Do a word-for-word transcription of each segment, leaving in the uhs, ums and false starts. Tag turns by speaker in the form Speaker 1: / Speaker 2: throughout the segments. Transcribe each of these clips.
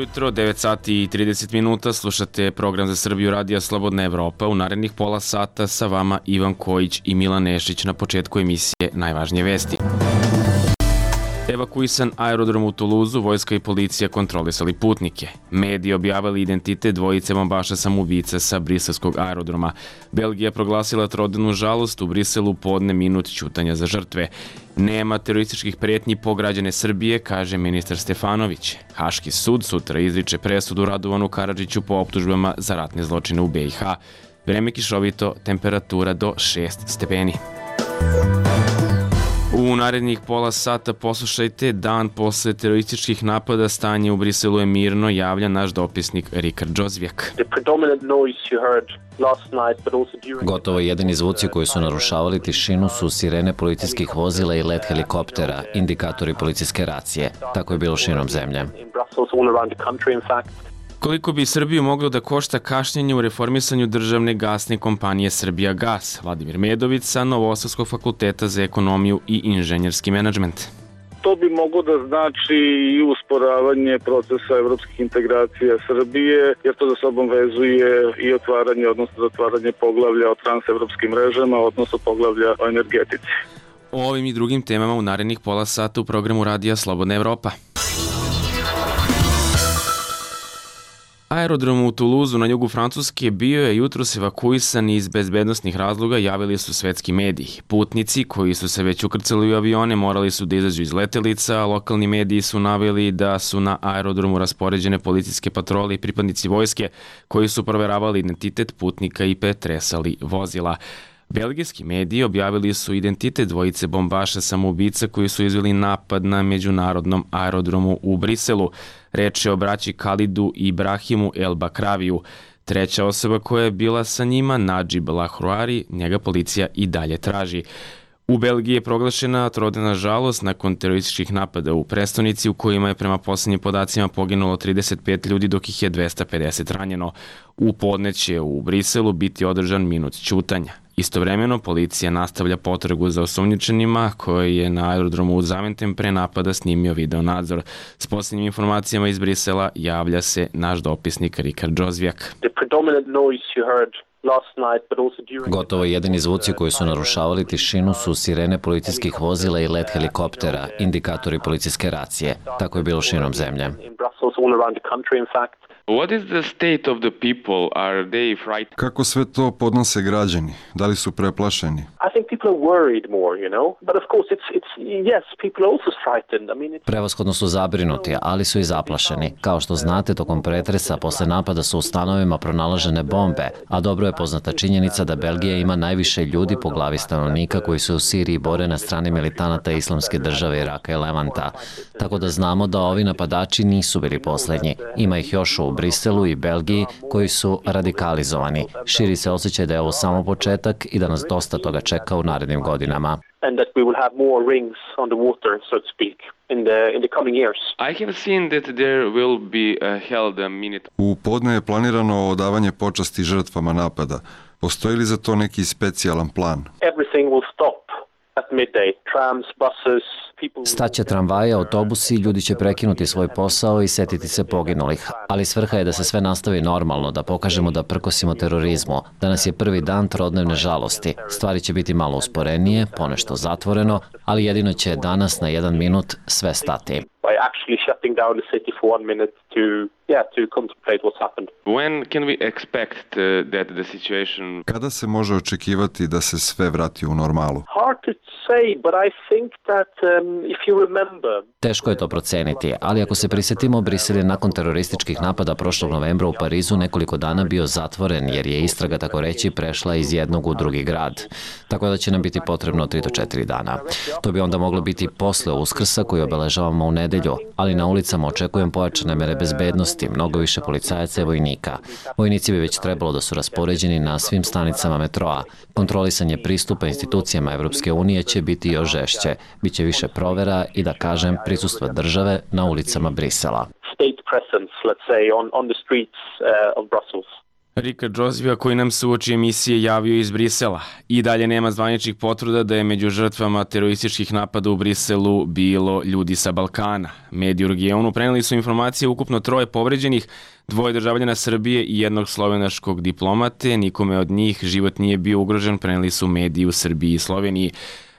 Speaker 1: jutro, devet sati i trideset minuta, slušate program za Srbiju Radija Slobodna Evropa. U narednih pola sata sa vama Ivan Kojić i Milan Nešić. Na početku emisije najvažnije vesti. Evakuisan aerodrom u Tuluzu, vojska i policija kontrolisali putnike. Mediji objavili identitet dvojice bombaša samoubica sa briselskog aerodroma. Belgija proglasila trodnevnu žalost, u Briselu podne minut ćutanja za žrtve. Nema terorističkih pretnji po građane Srbije, kaže ministar Stefanović. Haški sud sutra izriče presudu Radovanu Karadžiću po optužbama za ratne zločine u be i ha. Vreme kišovito, temperatura do šest stepeni. U narednih pola sata poslušajte dan posle terorističkih napada, stanje u Briselu je mirno, javlja naš dopisnik Rikard Džozvijak.
Speaker 2: Gotovo jedini zvuci koji su narušavali tišinu su sirene policijskih vozila i let helikoptera, indikatori policijske racije. Tako je bilo širom zemlje.
Speaker 1: Koliko bi Srbiju moglo da košta kašnjenje u reformisanju državne gasne kompanije Srbijagas? Vladimir Medović sa Novosadskog fakulteta za ekonomiju i inženjerski menadžment.
Speaker 3: To bi moglo da znači i usporavanje procesa evropskih integracija Srbije, jer to za sobom vezuje i otvaranje, odnosno zatvaranje poglavlja o transevropskim mrežama, odnosno poglavlja o energetici.
Speaker 1: O ovim i drugim temama u narednih pola sata u programu Radija Slobodna Evropa. Aerodrom u Tuluzu na jugu Francuske bio je jutros evakuisan iz bezbednosnih razloga, javili su svetski mediji. Putnici koji su se već ukrcali u avione morali su da izađu iz letelica, a lokalni mediji su naveli da su na aerodromu raspoređene policijske patrole i pripadnici vojske koji su proveravali identitet putnika i pretresali vozila. Belgijski mediji objavili su identitet dvojice bombaša samoubica koji su izveli napad na međunarodnom aerodromu u Briselu. Reč je o braći Khalidu i Ibrahimu El Bakraviju. Treća osoba koja je bila sa njima, Nadžib Lahruari, njega policija i dalje traži. U Belgiji je proglašena trodnevna žalost nakon terorističkih napada u prestonici u kojima je prema poslednjim podacima poginulo trideset pet ljudi dok ih je dvesta pedeset ranjeno. U podne će u Briselu biti održan minut ćutanja. Istovremeno, policija nastavlja potragu za osumnjičenima koji je na aerodromu u Zaventem pre napada snimio video nadzor. S posljednjim informacijama iz Brisela javlja se naš dopisnik Rikard Džozvijak.
Speaker 2: Gotovo jedini zvuci koji su narušavali tišinu su sirene policijskih vozila i let helikoptera, indikatori policijske racije. Tako je bilo širom zemlje.
Speaker 1: What is the state of the people? Are they frightened?
Speaker 4: Kako sve to podnose građani? Da li su preplašeni?
Speaker 3: I think people are worried more, you know. But of course it's it's yes, people are also frightened. I mean it's...
Speaker 2: Prevashodno su zabrinuti, ali su i zaplašeni. Kao što znate, tokom pretresa posle napada su u stanovima pronalažene bombe, a dobro je poznata činjenica da Belgija ima najviše ljudi po glavi stanovnika koji se u Siriji bore na strani militanata Islamske države Iraka i Levanta. Tako da znamo da ovi napadači nisu bili poslednji. Ima ih još u Briselu i Belgiji koji su radikalizovani. Širi se osjećaj da je ovo samo početak i da nas dosta toga čeka u narednim godinama.
Speaker 3: And that we will have more rings on the water, so to speak, in the in the coming years.
Speaker 1: I have seen that there will be uh, held a minute.
Speaker 4: U podne je planirano odavanje počasti žrtvama napada. Postoji li za to neki specijalan plan?
Speaker 3: Everything will stop at midday. Trams, buses, people...
Speaker 2: Staće tramvaje, autobusi, ljudi će prekinuti svoj posao i setiti se poginulih. Ali svrha je da se sve nastavi normalno, da pokažemo da prkosimo terorizmu. Danas je prvi dan trodnevne žalosti. Stvari će biti malo usporenije, ponešto zatvoreno, ali jedino će danas na jedan minut sve stati.
Speaker 3: By actually shutting down the city for one minute to yeah to contemplate what's happened.
Speaker 1: When can we expect uh, that the situation?
Speaker 4: Kada se može očekivati da se sve vrati u normalu?
Speaker 3: Hard to say, but I think that um, if you remember.
Speaker 2: Teško je to proceniti, ali ako se prisjetimo, Brisel je nakon terorističkih napada prošlog novembra u Parizu nekoliko dana bio zatvoren jer je istraga, tako reći, prešla iz jednog u drugi grad. Tako da će nam biti potrebno tri do četiri dana. To bi onda moglo biti posle Uskrsa koji obeležavamo u nedelju, ali na ulicama očekujem pojačane mere bezbednosti, mnogo više policajaca i vojnika. Vojnici bi već trebalo da su raspoređeni na svim stanicama metroa. Kontrolisanje pristupa institucijama Evropske unije će biti još žešće. Biće više provera i, da kažem, prisustva države na ulicama Brisela.
Speaker 3: State presence, let's say, on on the streets uh, of Brussels.
Speaker 1: Rika Džozvija koji nam se uoči emisije javio iz Brisela. I dalje nema zvaničnih potvrda da je među žrtvama terorističkih napada u Briselu bilo ljudi sa Balkana. Mediji u regionu preneli su informacije ukupno troje povređenih, dvoje državljana Srbije i jednog slovenačkog diplomate. Nikome od njih život nije bio ugrožen, preneli su mediji u Srbiji i Sloveniji.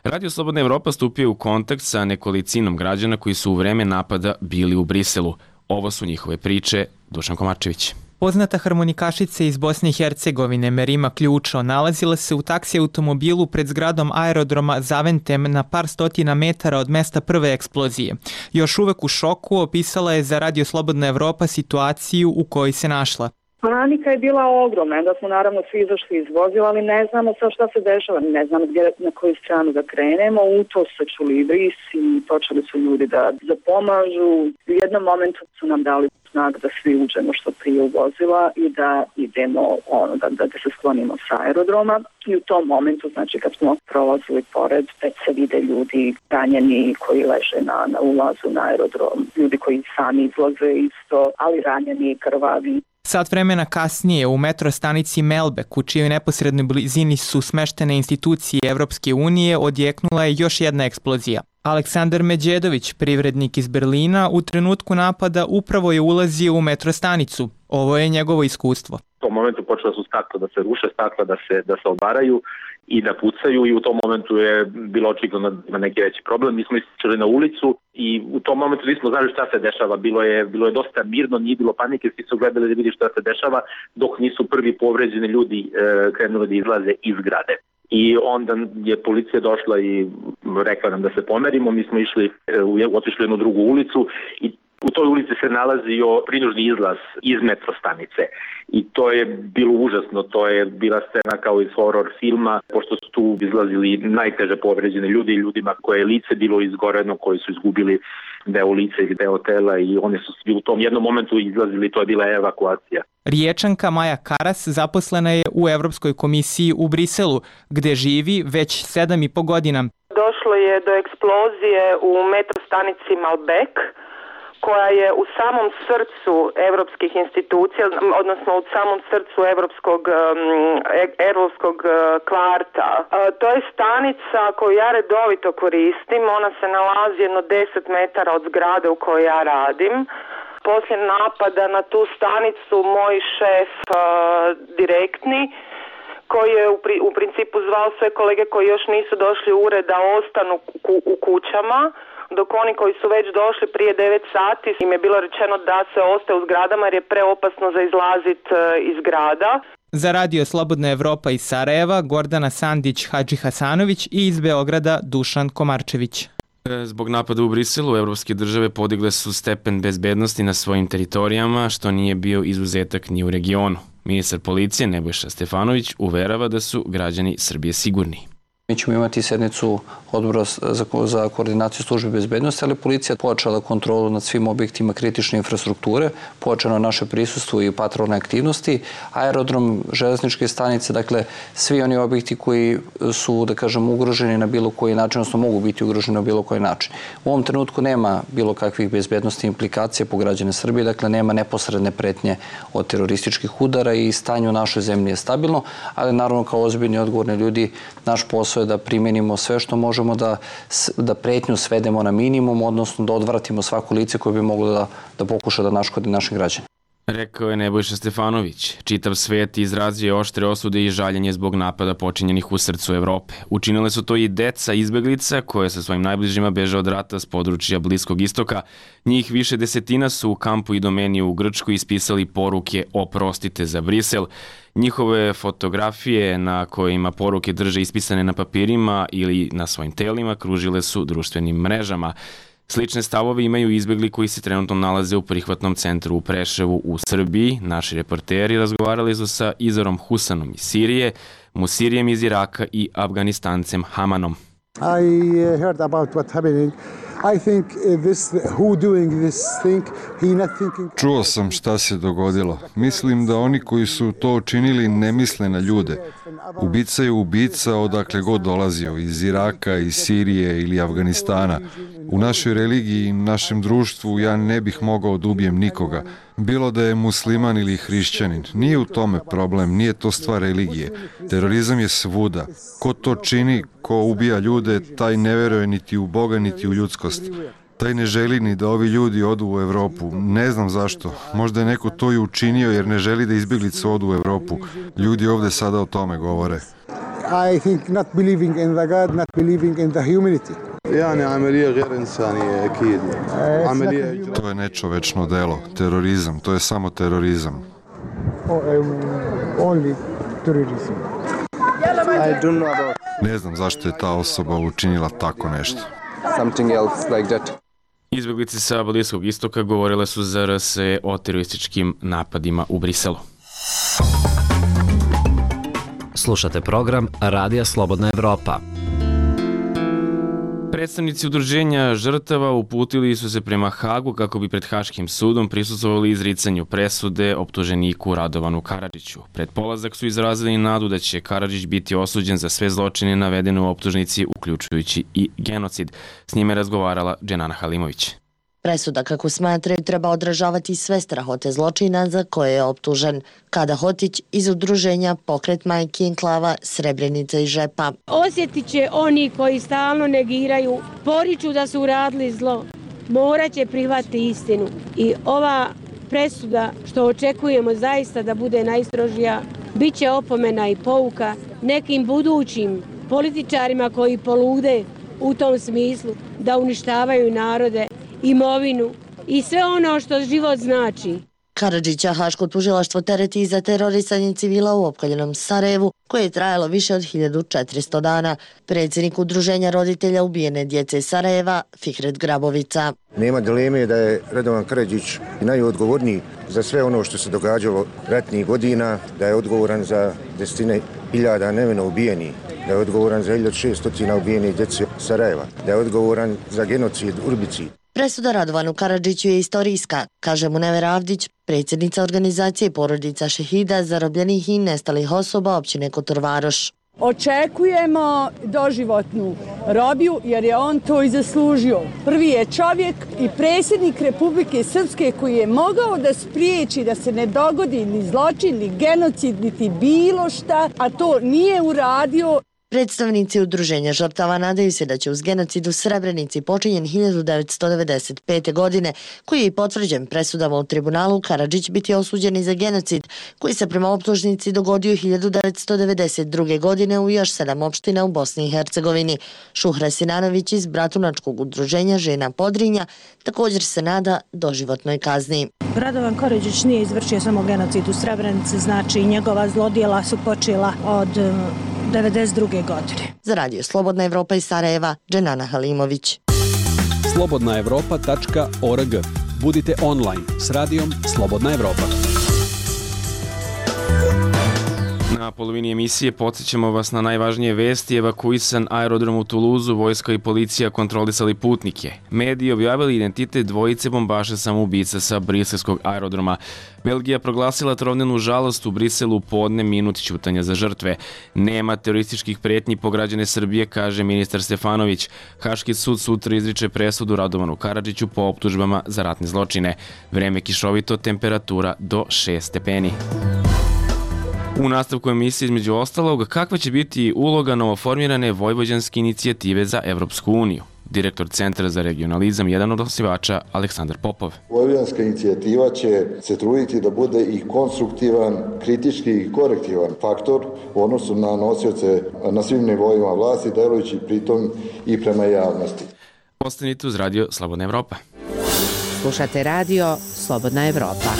Speaker 1: Radio Slobodna Evropa stupio u kontakt sa nekolicinom građana koji su u vreme napada bili u Briselu. Ovo su njihove priče. Dušan Komarčević.
Speaker 5: Poznata harmonikašica iz Bosne i Hercegovine Merima Ključo nalazila se u taksi automobilu pred zgradom aerodroma Zaventem na par stotina metara od mesta prve eksplozije. Još uvek u šoku opisala je za Radio Slobodna Evropa situaciju u kojoj se našla.
Speaker 6: Panika je bila ogromna, da smo naravno svi izašli iz vozila, ali ne znamo sad šta se dešava, ne znamo gdje, na koju stranu da krenemo. U to se čuli brisi i počeli su ljudi da zapomažu. U jednom momentu su nam dali znak da svi uđemo što prije u vozila i da idemo, ono, da, da, da se sklonimo sa aerodroma. I u tom momentu, znači kad smo prolazili pored, već se vide ljudi ranjeni koji leže na, na ulazu na aerodrom, ljudi koji sami izlaze isto, ali ranjeni i krvavi.
Speaker 5: Sat vremena kasnije u metro stanici Melbek, u čijoj neposrednoj blizini su smeštene institucije Evropske unije, odjeknula je još jedna eksplozija. Aleksandar Međedović, privrednik iz Berlina, u trenutku napada upravo je ulazio u metro stanicu. Ovo je njegovo iskustvo.
Speaker 7: U tom momentu počela su stakla da se ruše, stakla da se, da se obaraju i da pucaju i u tom momentu je bilo očigledno da ima neki veći problem. Mi smo ističali na ulicu i u tom momentu nismo znali šta se dešava. Bilo je, bilo je dosta mirno, nije bilo panike, svi su gledali da vidi šta se dešava dok nisu prvi povređeni ljudi e, krenuli da izlaze iz zgrade. I onda je policija došla i rekla nam da se pomerimo, mi smo išli, otišli jednu drugu ulicu i u toj ulici se nalazio prinužni izlaz iz metro stanice i to je bilo užasno, to je bila scena kao iz horror filma, pošto su tu izlazili najteže povređene ljudi, ljudima koje je lice bilo izgoreno, koji su izgubili deo lice ili deo tela i oni su u tom jednom momentu izlazili, to je bila evakuacija.
Speaker 5: Riječanka Maja Karas zaposlena je u Evropskoj komisiji u Briselu, gde živi već sedam i po godina.
Speaker 8: Došlo je do eksplozije u metro stanici Malbec, koja je u samom srcu evropskih institucija, odnosno u samom srcu evropskog, evropskog kvarta. To je stanica koju ja redovito koristim, ona se nalazi jedno deset metara od zgrade u kojoj ja radim. Poslije napada na tu stanicu moj šef direktni, koji je u, pri, u principu zvao sve kolege koji još nisu došli u ured da ostanu ku, u kućama, dok oni koji su već došli prije devet sati im je bilo rečeno da se ostaje u zgradama jer je preopasno za izlazit iz grada.
Speaker 5: Za Radio Slobodna Evropa iz Sarajeva, Gordana Sandić-Hadžihasanović i iz Beograda Dušan Komarčević.
Speaker 1: Zbog napada u Briselu, evropske države podigle su stepen bezbednosti na svojim teritorijama, što nije bio izuzetak ni u regionu. Ministar policije Nebojša Stefanović uverava da su građani Srbije sigurni.
Speaker 9: Mi ćemo imati sednicu odbora za, za koordinaciju službe bezbednosti, ali policija počela kontrolu nad svim objektima kritične infrastrukture, počelo naše prisustvo i patrolne aktivnosti, aerodrom, železničke stanice, dakle svi oni objekti koji su, da kažem, ugroženi na bilo koji način, odnosno mogu biti ugroženi na bilo koji način. U ovom trenutku nema bilo kakvih bezbednosti implikacija po građane Srbije, dakle nema neposredne pretnje od terorističkih udara i stanje u našoj zemlji je stabilno, ali naravno kao ozbiljni odgovorni ljudi naš posao je da primenimo sve što možemo da, da pretnju svedemo na minimum, odnosno da odvratimo svako lice koje bi moglo da, da pokuša da naškodi našim građanima.
Speaker 1: Rekao je Nebojša Stefanović. Čitav svet izrazio je oštre osude i žaljenje zbog napada počinjenih u srcu Evrope. Učinile su to i deca izbeglica koje sa svojim najbližima beže od rata s područja Bliskog istoka. Njih više desetina su u kampu Idomenije u Grčkoj ispisali poruke oprostite za Brisel. Njihove fotografije na kojima poruke drže ispisane na papirima ili na svojim telima kružile su društvenim mrežama. Slične stavove imaju izbegli koji se trenutno nalaze u prihvatnom centru u Preševu u Srbiji. Naši reporteri razgovarali su sa Izorom Husanom iz Sirije, Musirijem iz Iraka i Afganistancem Hamanom.
Speaker 10: I heard about what happening
Speaker 4: Čuo sam šta se dogodilo. Mislim da oni koji su to učinili ne misle na ljude. Ubica je ubica odakle god dolazio, iz Iraka, iz Sirije ili Afganistana. U našoj religiji i našem društvu ja ne bih mogao da ubijem nikoga. Bilo da je musliman ili hrišćanin. Nije u tome problem, nije to stvar religije. Terorizam je svuda. Ko to čini, ko ubija ljude, taj ne veruje niti u Boga, niti u ljudskost. Taj ne želi ni da ovi ljudi odu u Evropu. Ne znam zašto. Možda je neko to i učinio jer ne želi da izbjeglice odu u Evropu. Ljudi ovde sada o tome govore.
Speaker 10: I think not believing in the God, not believing in the humanity.
Speaker 4: To je nečovečno delo, terorizam, to je samo terorizam. Ne znam zašto je ta osoba učinila tako nešto.
Speaker 1: Izbjeglice sa Bliskog istoka govorile su za R S E o terorističkim napadima u Briselu.
Speaker 2: Slušate program Radija Slobodna Evropa.
Speaker 1: Predstavnici udruženja žrtava uputili su se prema Hagu kako bi pred Haškim sudom prisustvovali izricanju presude optuženiku Radovanu Karadžiću. Pred polazak su izrazili nadu da će Karadžić biti osuđen za sve zločine navedene u optužnici, uključujući i genocid. S njime je razgovarala Dženana Halimović.
Speaker 11: Presuda, kako smatraju, treba odražavati sve strahote zločina za koje je optužen. Kada Hotić iz udruženja Pokret majki enklava Srebrenica i Žepa.
Speaker 12: Osjetit će oni koji stalno negiraju, poriču da su uradili zlo, morat će prihvatiti istinu. I ova presuda, što očekujemo zaista da bude najstrožija, bit će opomena i pouka nekim budućim političarima koji polude u tom smislu da uništavaju narode, imovinu i sve ono što život znači.
Speaker 11: Karadžića Haško tužilaštvo tereti i za terorisanje civila u opkoljenom Sarajevu, koje je trajalo više od hiljadu četiristo dana. Predsjednik udruženja roditelja ubijene djece Sarajeva, Fikret Grabovica.
Speaker 13: Nema dileme da je Radovan Karadžić najodgovorniji za sve ono što se događalo ratnih godina, da je odgovoran za desetine hiljada nevino ubijenih, da je odgovoran za hiljadu šesto ubijenih djece Sarajeva, da je odgovoran za genocid Urbici.
Speaker 11: Presuda Radovanu Karadžiću je istorijska, kaže Munever Avdić, predsjednica organizacije porodica šehida, zarobljenih i nestalih osoba općine Kotorvaroš.
Speaker 14: Očekujemo doživotnu robiju jer je on to i zaslužio. Prvi je čovjek i predsjednik Republike Srpske koji je mogao da spriječi da se ne dogodi ni zločin, ni genocid, niti bilo šta, a to nije uradio.
Speaker 11: Predstavnici udruženja žrtava nadaju se da će uz genocid u Srebrenici počinjen hiljadu devetsto devedeset pete. godine, koji je i potvrđen presudama u tribunalu, Karadžić biti osuđen i za genocid, koji se prema optužnici dogodio hiljadu devetsto devedeset druge. godine u još sedam opština u Bosni i Hercegovini. Šuhra Sinanović iz Bratunačkog udruženja Žena Podrinja također se nada doživotnoj kazni.
Speaker 15: Radovan Karadžić nije izvršio samo genocid u Srebrenici, znači njegova zlodjela su počela od devedeset druge. godine.
Speaker 11: Za Radio Slobodna Evropa iz Sarajeva, Dženana Halimović.
Speaker 16: slobodna evropa tačka org. Budite online s radijom Slobodna Evropa.
Speaker 1: Na polovini emisije podsjećamo vas na najvažnije vesti. Evakuisan aerodrom u Tuluzu, vojska i policija kontrolisali putnike. Mediji objavili identitet dvojice bombaša samoubica sa briselskog aerodroma. Belgija proglasila trovnenu žalost u Briselu podne, minut ćutanja za žrtve. Nema terorističkih pretnji po građane Srbije, kaže ministar Stefanović. Haški sud sutra izriče presudu Radovanu Karadžiću po optužbama za ratne zločine. Vreme kišovito, temperatura do šest stepeni. U nastavku emisije između ostalog, kakva će biti uloga novoformirane Vojvođanske inicijative za Evropsku uniju? Direktor Centra za regionalizam, jedan od osnivača, Aleksandar Popov.
Speaker 17: Vojvođanska inicijativa će se truditi da bude i konstruktivan, kritički i korektivan faktor u odnosu na nosioce na svim nivoima vlasti, delujući pritom i prema javnosti.
Speaker 1: Ostanite uz Radio Slobodna Evropa.
Speaker 18: Slušate Radio Slobodna Evropa.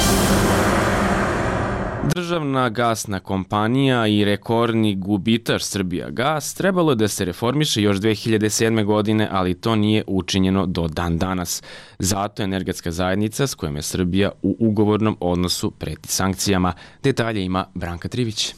Speaker 1: Državna gasna kompanija i rekordni gubitaš Srbijagas trebalo je da se reformiše još dve hiljade sedme. godine, ali to nije učinjeno do dan danas. Zato energetska zajednica s kojom je Srbija u ugovornom odnosu preti sankcijama. Detalje ima Branka Trivić.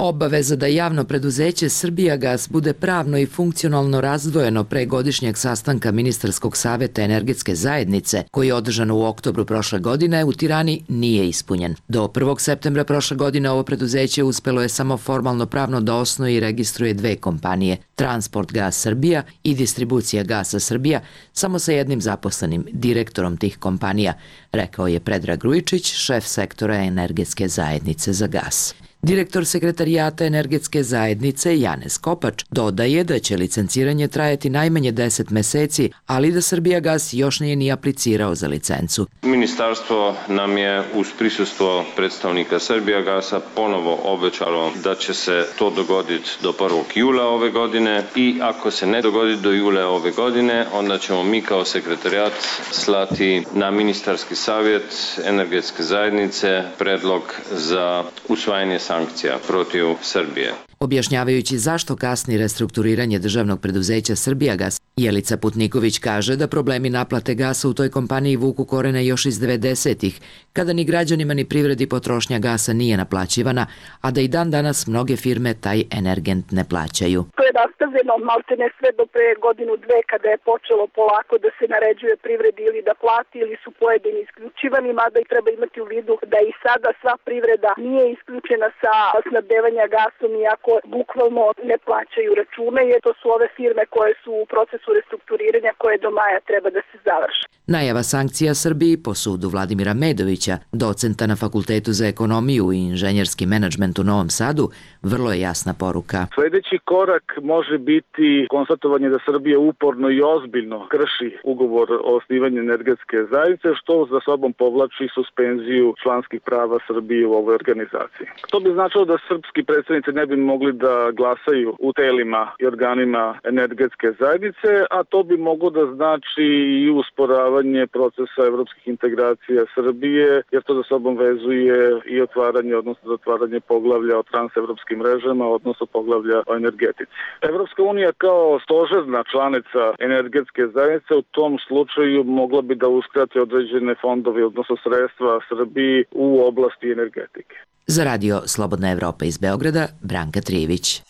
Speaker 19: Obaveza da javno preduzeće Srbijagas bude pravno i funkcionalno razdvojeno pre godišnjeg sastanka Ministarskog saveta energetske zajednice, koji je održan u oktobru prošle godine, u Tirani nije ispunjen. Do prvog septembra prošle godine ovo preduzeće uspelo je samo formalno pravno da osnuje i registruje dve kompanije, Transport Gas Srbija i Distribucija Gasa Srbija, samo sa jednim zaposlenim, direktorom tih kompanija, rekao je Predrag Grujičić, šef sektora energetske zajednice za gas. Direktor sekretarijata energetske zajednice Janez Kopač dodaje da će licenciranje trajati najmanje deset meseci, ali da Srbijagas još nije ni aplicirao za licencu.
Speaker 20: Ministarstvo nam je uz prisustvo predstavnika Srbijagasa ponovo obećalo da će se to dogoditi do prvog jula ove godine i ako se ne dogodi do jula ove godine, onda ćemo mi kao sekretarijat slati na ministarski savjet energetske zajednice predlog za usvajanje sankcija protiv Srbije.
Speaker 19: Objašnjavajući zašto kasni restrukturiranje državnog preduzeća Srbijagas, Jelica Putniković kaže da problemi naplate gasa u toj kompaniji vuku korene još iz devedesetih, kada ni građanima ni privredi potrošnja gasa nije naplaćivana, a da i dan danas mnoge firme taj energent ne plaćaju.
Speaker 21: To je nastavljeno maltene sve do pre godinu dve kada je počelo polako da se naređuje privredi ili da plati ili su pojedini isključivani, mada i treba imati u vidu da i sada sva privreda nije isključena sa snabdevanja gasom iako bukvalno ne plaćaju račune, jer to su ove firme koje su u procesu restrukturiranja koje do maja treba da se završe.
Speaker 19: Najava sankcija Srbiji po sudu Vladimira Medovića, docenta na Fakultetu za ekonomiju i inženjerski menadžment u Novom Sadu, vrlo je jasna poruka.
Speaker 3: Sledeći korak može biti konstatovanje da Srbija uporno i ozbiljno krši ugovor o osnivanju energetske zajednice, što za sobom povlači suspenziju članskih prava Srbije u ovoj organizaciji. To bi značilo da srpski predstavnici ne bi mogli da glasaju u telima i organima energetske zajednice, a to bi moglo da znači i usporavanje procesa evropskih integracija Srbije, jer to za sobom vezuje i otvaranje, odnosno zatvaranje poglavlja o transevropskim mrežama, odnosno poglavlja o energetici. Evropska unija kao stožerna članica energetske zajednice u tom slučaju mogla bi da uskrati određene fondove, odnosno sredstva Srbiji u oblasti energetike.
Speaker 19: Za radio Slobodna Evropa iz Beograda, Branka Trijević.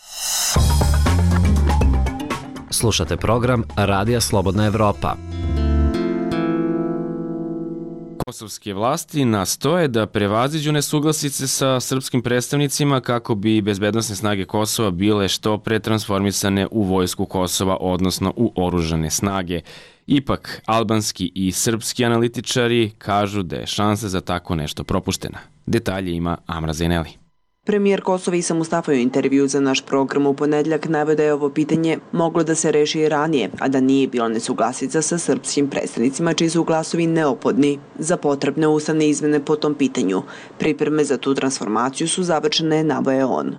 Speaker 2: Slušate program Radija Slobodna Evropa.
Speaker 1: Kosovske vlasti nastoje da prevaziđu nesuglasice sa srpskim predstavnicima kako bi bezbednosne snage Kosova bile što pre transformisane u vojsku Kosova, odnosno u oružane snage. Ipak, albanski i srpski analitičari kažu da je šansa za tako nešto propuštena. Detalje ima Amra Zaineli.
Speaker 22: Premijer Kosova Isa Mustafa u intervju za naš program u ponedljak naveo da je ovo pitanje moglo da se reši i ranije, a da nije bilo nesuglasica sa srpskim predstavnicima čiji su glasovi neophodni za potrebne ustavne izmene po tom pitanju. Pripreme za tu transformaciju su završene, navoje on.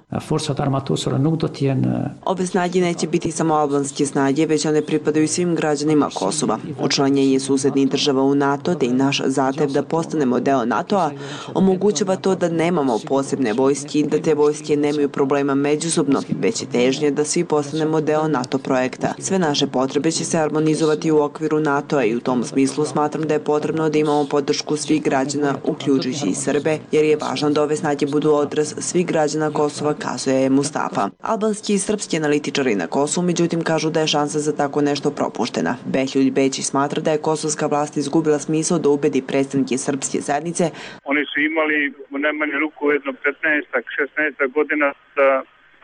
Speaker 22: Ove snage neće biti samo albanske snage, već one pripadaju svim građanima Kosova. Učlanjenje susednih država u NATO, te i naš zahtev da postanemo deo NATO-a, omogućava to da nemamo posebne vojske, da te vojske nemaju problema međusobno, već je težnje da svi postanemo deo NATO projekta. Sve naše potrebe će se harmonizovati u okviru NATO-a i u tom smislu smatram da je potrebno da imamo podršku svih građana, uključujući i Srbe, jer je važno da ove snage budu odraz svih građana Kosova, kazuje je Mustafa. Albanski i srpski analitičari na Kosovu, međutim, kažu da je šansa za tako nešto propuštena. Behljuljt Bečić smatra da je kosovska vlast izgubila smisao da ubedi predstavnike srpske zajednice.
Speaker 23: Oni su imali u najmanje ruku jedno petnaest šesnaest godina da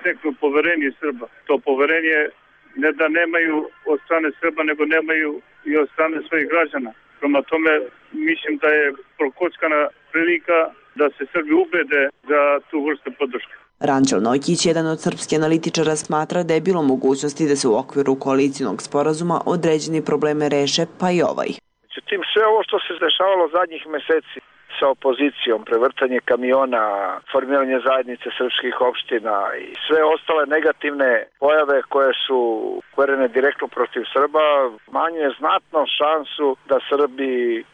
Speaker 23: steknu poverenje Srba. To poverenje ne da nemaju od strane Srba, nego nemaju i od strane svojih građana. Prema tome, mislim da je prokockana prilika da se Srbi ubede za tu vrstu podrške.
Speaker 22: Ranđel Nojkić, jedan od srpskih analitičara, smatra da je bilo mogućnosti da se u okviru koalicijnog sporazuma određeni probleme reše, pa i ovaj.
Speaker 24: Međutim, sve ovo što se dešavalo zadnjih meseci sa opozicijom, prevrtanje kamiona, formiranje zajednice srpskih opština i sve ostale negativne pojave koje su uperene direktno protiv Srba, manjuje znatno šansu da Srbi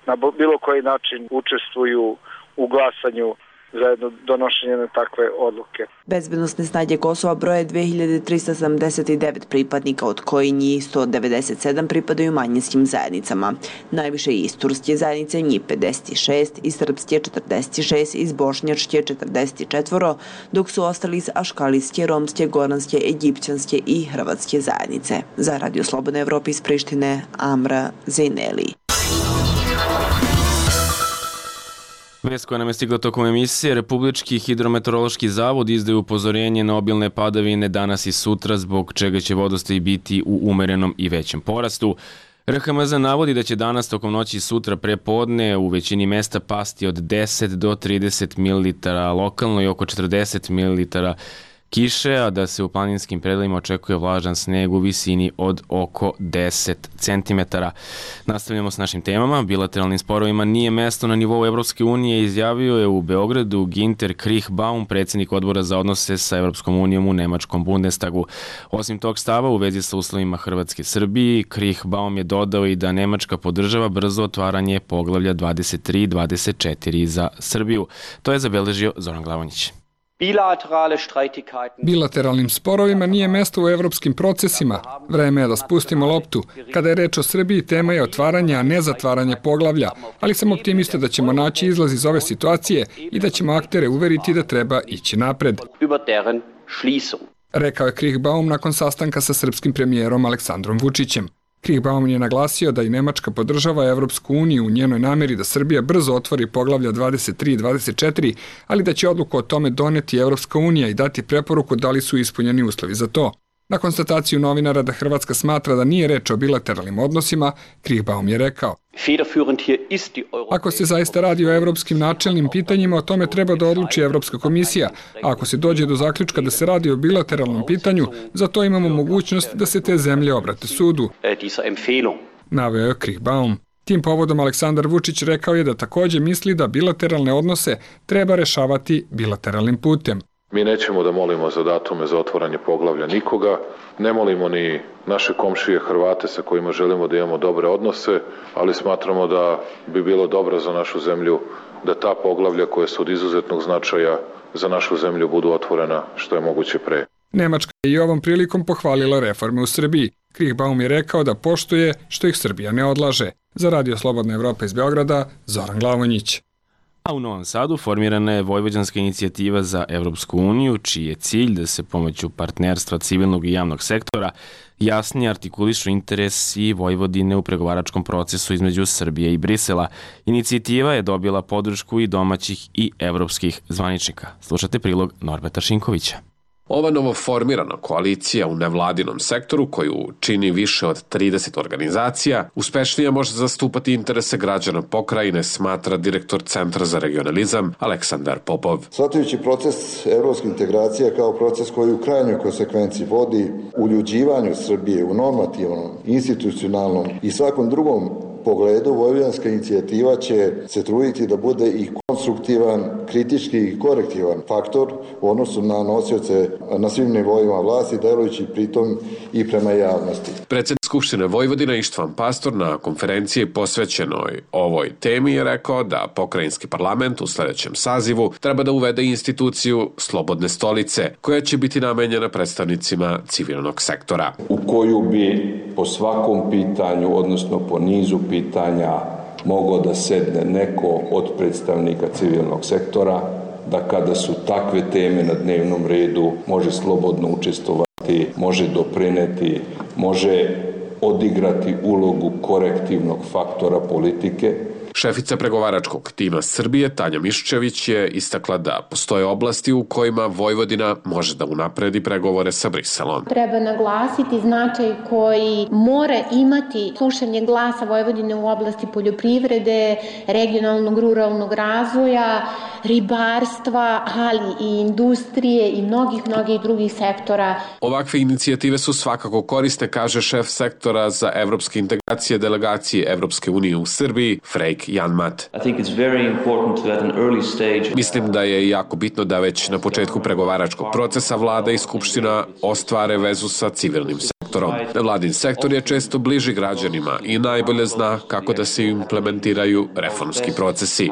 Speaker 24: na bilo koji način učestvuju u glasanju za jedno donošenje na takve odluke.
Speaker 22: Bezbednosne snage Kosova broje dve hiljade trista sedamdeset devet pripadnika, od koji njih sto devedeset sedam pripadaju manjinskim zajednicama. Najviše iz turske zajednice, njih pedeset šest, iz srpske četrdeset šest, iz bošnjačke četrdeset četiri, dok su ostali iz aškalijske, romske, goranske, egipćanske i hrvatske zajednice. Za Radio Slobodna Evropa iz Prištine, Amra Zejneli.
Speaker 1: Vest koja nam je stigla tokom emisije: Republički hidrometeorološki zavod izdaje upozorenje na obilne padavine danas i sutra, zbog čega će vodostaj biti u umerenom i većem porastu. R H M Z navodi da će danas tokom noći i sutra pre podne u većini mesta pasti od deset do trideset mililitara lokalno i oko četrdeset mililitara kiše, a da se u planinskim predelima očekuje vlažan sneg u visini od oko deset centimetara. Nastavljamo s našim temama. Bilateralnim sporovima nije mesto na nivou Evropske unije, izjavio je u Beogradu Ginter Krichbaum, predsjednik odbora za odnose sa Evropskom unijom u Nemačkom Bundestagu. Osim tog stava u vezi sa uslovima Hrvatske Srbiji, Krichbaum je dodao i da Nemačka podržava brzo otvaranje poglavlja dvadeset tri dvadeset četiri za Srbiju. To je zabeležio Zoran Glavonjić.
Speaker 5: Bilateralnim sporovima nije mesto u evropskim procesima. Vreme je da spustimo loptu. Kada je reč o Srbiji, tema je otvaranje, a ne zatvaranje poglavlja. Ali sam optimista da ćemo naći izlaz iz ove situacije i da ćemo aktere uveriti da treba ići napred. Rekao je Krichbaum nakon sastanka sa srpskim premijerom Aleksandrom Vučićem. Krichbaum je naglasio da i Nemačka podržava Evropsku uniju u njenoj nameri da Srbija brzo otvori poglavlja dvadeset tri dvadeset četiri, ali da će odluku o tome doneti Evropska unija i dati preporuku da li su ispunjeni uslovi za to. Na konstataciju novinara da Hrvatska smatra da nije reč o bilateralnim odnosima, Krichbaum je rekao: ako se zaista radi o evropskim načelnim pitanjima, o tome treba da odluči Evropska komisija, a ako se dođe do zaključka da se radi o bilateralnom pitanju, za to imamo mogućnost da se te zemlje obrate sudu. Naveo je Krichbaum. Tim povodom Aleksandar Vučić rekao je da takođe misli da bilateralne odnose treba rešavati bilateralnim putem.
Speaker 6: Mi nećemo da molimo za datume za otvaranje poglavlja nikoga, ne molimo ni naše komšije Hrvate sa kojima želimo da imamo dobre odnose, ali smatramo da bi bilo dobro za našu zemlju da ta poglavlja koja su od izuzetnog značaja za našu zemlju budu otvorena što je moguće pre.
Speaker 5: Nemačka je i ovom prilikom pohvalila reforme u Srbiji. Krichbaum je rekao da poštuje što ih Srbija ne odlaže. Za Radio Slobodna Evropa iz Beograda, Zoran Glavonjić.
Speaker 1: A u Novom Sadu formirana je Vojvođanska inicijativa za Evropsku uniju, čiji je cilj da se pomoću partnerstva civilnog i javnog sektora jasnije artikulišu interesi Vojvodine u pregovaračkom procesu između Srbije i Brisela. Inicijativa je dobila podršku i domaćih i evropskih zvaničnika. Slušate prilog Norberta Šinkovića.
Speaker 7: Ova novoformirana koalicija u nevladinom sektoru, koju čini više od trideset organizacija, uspešnije može zastupati interese građana pokrajine, smatra direktor Centra za regionalizam Aleksandar Popov.
Speaker 17: Shvatajući proces evropske integracije kao proces koji u krajnjoj konsekvenciji vodi uljuđivanju Srbije u normativnom, institucionalnom i svakom drugom pogledu, Vojvođanska inicijativa će se truditi da bude i konstruktivan, kritički i korektivan faktor u odnosu na nosioce na svim nivoima vlasti, delujući pritom i prema javnosti.
Speaker 7: Predsjednik Skupštine Vojvodine Ištvan Pastor na konferenciji posvećenoj ovoj temi je rekao da pokrajinski parlament u sledećem sazivu treba da uvede instituciju Slobodne stolice, koja će biti namenjena predstavnicima civilnog sektora.
Speaker 8: U koju bi po svakom pitanju, odnosno po nizu pitanja, mogao da sedne neko od predstavnika civilnog sektora, da kada su takve teme na dnevnom redu može slobodno učestvovati, može doprineti, može odigrati ulogu korektivnog faktora politike.
Speaker 7: Šefica pregovaračkog tima Srbije Tanja Miščević je istakla da postoje oblasti u kojima Vojvodina može da unapredi pregovore sa Briselom.
Speaker 25: Treba naglasiti značaj koji mora imati slušanje glasa Vojvodine u oblasti poljoprivrede, regionalnog ruralnog razvoja, ribarstva, ali i industrije i mnogih, mnogih drugih sektora.
Speaker 7: Ovakve inicijative su svakako korisne, kaže šef sektora za evropske integracije delegacije Evropske unije u Srbiji, Frejk Janmat. Mislim da je jako bitno da već na početku pregovaračkog procesa vlada i skupština ostvare vezu sa civilnim sektorom. sektorom. Nevladin sektor je često bliži građanima i najbolje zna kako da se implementiraju reformski procesi.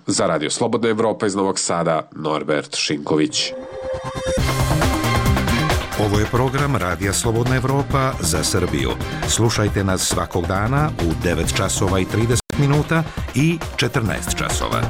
Speaker 7: Za Radio Slobodna Evropa iz Novog Sada, Norbert Šinković.
Speaker 4: Ovo je program Radija Slobodna Evropa za Srbiju. Slušajte nas svakog dana u devet časova i trideset minuta i četrnaest časova.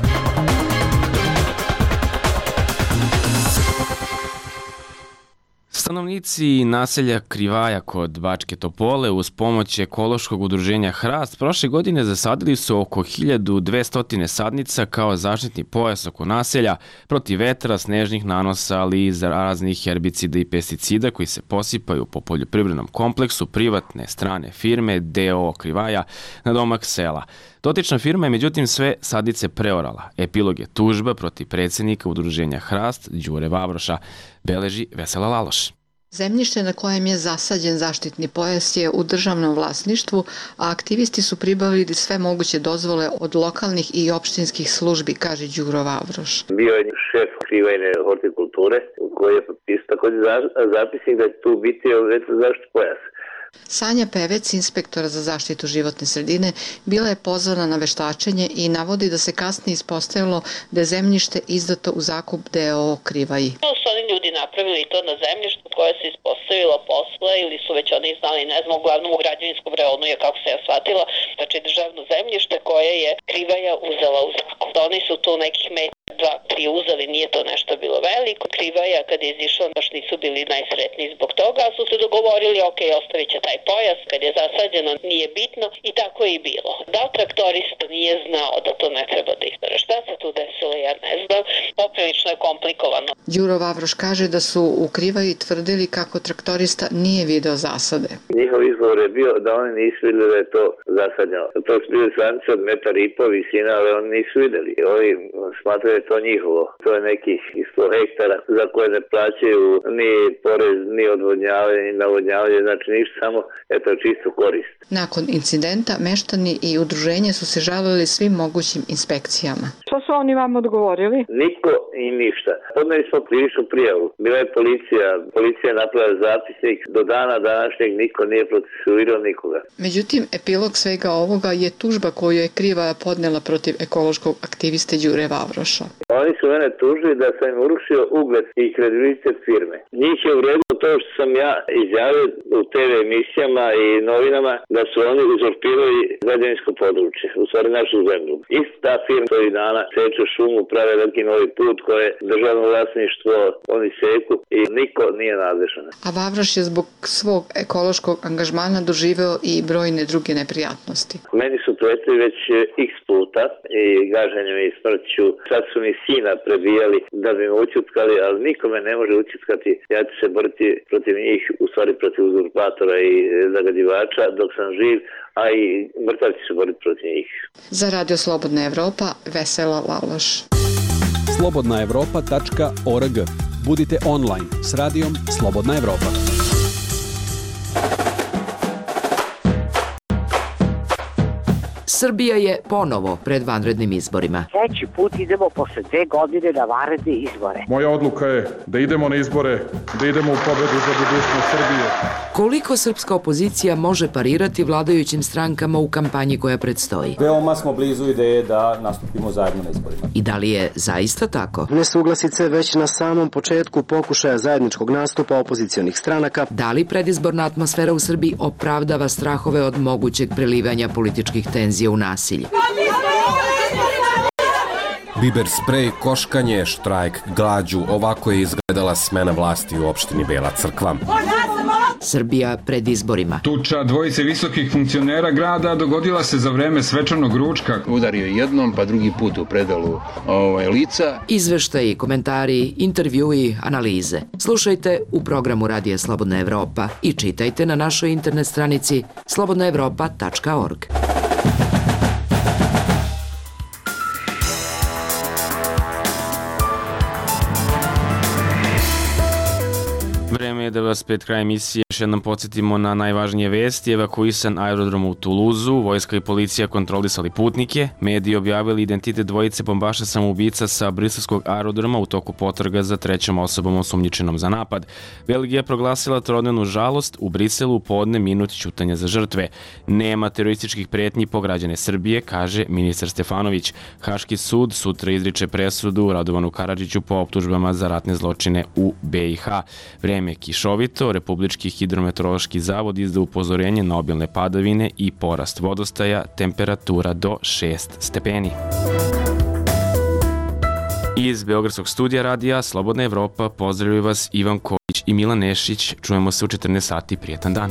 Speaker 1: Stanovnici naselja Krivaja kod Bačke Topole uz pomoć ekološkog udruženja Hrast prošle godine zasadili su oko hiljadu dvesta sadnica kao zaštitni pojas oko naselja protiv vetra, snežnih nanosa, ali i raznih herbicida i pesticida koji se posipaju po poljoprivrednom kompleksu privatne strane firme D O O Krivaja na domak sela. Dotična firma je međutim sve sadnice preorala. Epilog je tužba protiv predsjednika udruženja Hrast, Đure Vavroša, beleži Vesela Laloš.
Speaker 9: Zemljište na kojem je zasađen zaštitni pojas je u državnom vlasništvu, a aktivisti su pribavili sve moguće dozvole od lokalnih i opštinskih službi, kaže Đuro Vavroš.
Speaker 10: Bio je šef Krivajne hortikulture koji je potpisao također zapisnik da će tu biti zaštitni pojas.
Speaker 9: Sanja Pevec, inspektora za zaštitu životne sredine, bila je pozvana na veštačenje i navodi da se kasnije ispostavilo da je zemljište izdato u zakup D O O Krivaji.
Speaker 12: To su oni ljudi napravili to na zemljištu koje se ispostavilo posle ili su već oni znali, ne znam, uglavnom u građevinskom reonu je, kako se ja shvatila, znači državno zemljište koje je Krivaja uzela u zakup. Oni su tu nekih metra dva, tri uzeli, nije to nešto bilo veliko. Krivaja kad je izišla baš nisu bili najsretniji zbog toga, su se dogovorili, ok, ostavit će taj pojas, kad je zasađeno nije bitno i tako je i bilo. Da li traktorista nije znao da to ne treba da izdara? Šta se tu desilo, ja ne znam, poprilično je komplikovano.
Speaker 9: Đuro Vavroš kaže da su u Krivaji tvrdili kako traktorista nije video zasade.
Speaker 10: Njihov izgovor je bio da oni nisu vidjeli da je to zasadnjeno. To su bili sadnice od metar i po visina, ali oni nisu vidjeli. Ovi smatraju da je to njihovo. To je nekih sto hektara za koje ne plaćaju ni porez, ni odvodnjavanje, ni navodnjavanje, znači ništa, samo eto čisto korist.
Speaker 9: Nakon incidenta, meštani i udruženje su se žalili svim mogućim inspekcijama.
Speaker 13: Što su oni vam odgovorili?
Speaker 10: Niko i ništa. Podneli smo krivičnu prijavu. Bila je policija, policija je napravila zapisnik, do dana današnjeg niko nije procesuirao nikoga.
Speaker 9: Međutim, epilog svega ovoga je tužba koju je Krivaja podnela protiv ekološkog aktiviste Đure Vavroša.
Speaker 10: Oni su mene tužili da sam im urušio ugled i kredibilitet firme. Njih je uredilo to što sam ja izjavio u te ve emisijama i novinama da su oni uzurpirali građevinsko područje, u stvari našu zemlju. Ista ta firma koji dana seče šumu, prave veliki novi put koje je državno vlasništvo, oni seku i niko nije nadležan.
Speaker 9: A Vavroš je zbog svog ekološkog angažmana doživeo i brojne druge neprijatnosti.
Speaker 10: Meni su pretili već x puta i gaženjem i smrću. Sad su mi sina prebijali da bi me ućutkali, ali niko me ne može ućutkati. Ja ću se boriti protiv njih, u stvari protiv uzurpatora i zagađivača dok sam živ, a i mrtav će se boriti protiv njih.
Speaker 9: Za Radio Slobodna Evropa, Vesela Laloš.
Speaker 16: slobodna evropa tačka org. Budite online s radijom Slobodna Evropa.
Speaker 19: Srbija je ponovo pred vanrednim izborima.
Speaker 26: Treći put idemo posle dve godine na vanredne izbore.
Speaker 27: Moja odluka je da idemo na izbore, da idemo u pobedu za budućnost Srbije.
Speaker 19: Koliko srpska opozicija može parirati vladajućim strankama u kampanji koja predstoji?
Speaker 28: Veoma smo blizu ideje da nastupimo zajedno na izborima.
Speaker 19: I da li je zaista tako?
Speaker 29: Nesuglasice već na samom početku pokušaja zajedničkog nastupa opozicionih stranaka.
Speaker 19: Da li predizborna atmosfera u Srbiji opravdava strahove od mogućeg prelivanja političkih tenzija u nasilje?
Speaker 30: Biber sprej, koškanje, štrajk, glađu, ovako je izgledala smena vlasti u opštini Bela Crkva.
Speaker 19: Srbija pred izborima.
Speaker 31: Tuča dvojice visokih funkcionera grada dogodila se za vreme svečanog ručka.
Speaker 32: Udario jednom, pa drugi put u predalu ovaj, lica.
Speaker 19: Izveštaji, komentari, intervjui, analize. Slušajte u programu Radija Slobodna Evropa i čitajte na našoj internet stranici slobodna evropa tačka org.
Speaker 1: vreme je da vas pred kraj emisije još jednom podsjetimo na najvažnije vesti. Evakuisan aerodrom u Tuluzu, vojska i policija kontrolisali putnike, mediji objavili identitet dvojice bombaša samoubica sa briselskog aerodroma u toku potraga za trećom osobom osumnjičenom za napad. Belgija je proglasila trodnevnu žalost, u Briselu podne minut ćutanja za žrtve. Nema terorističkih pretnji po građane Srbije, kaže ministar Stefanović. Haški sud sutra izriče presudu Radovanu Karadžiću po optužbama za ratne zločine u B i H. Vreme je kišovito, Republički hidrometeorološki zavod izda upozorenje na obilne padavine i porast vodostaja, temperatura do šest stepeni. Iz Beogradskog studija radija Slobodna Evropa pozdravljaju vas Ivan Kojić i Milan Nešić. Čujemo se u četrnaest sati. Prijetan dan.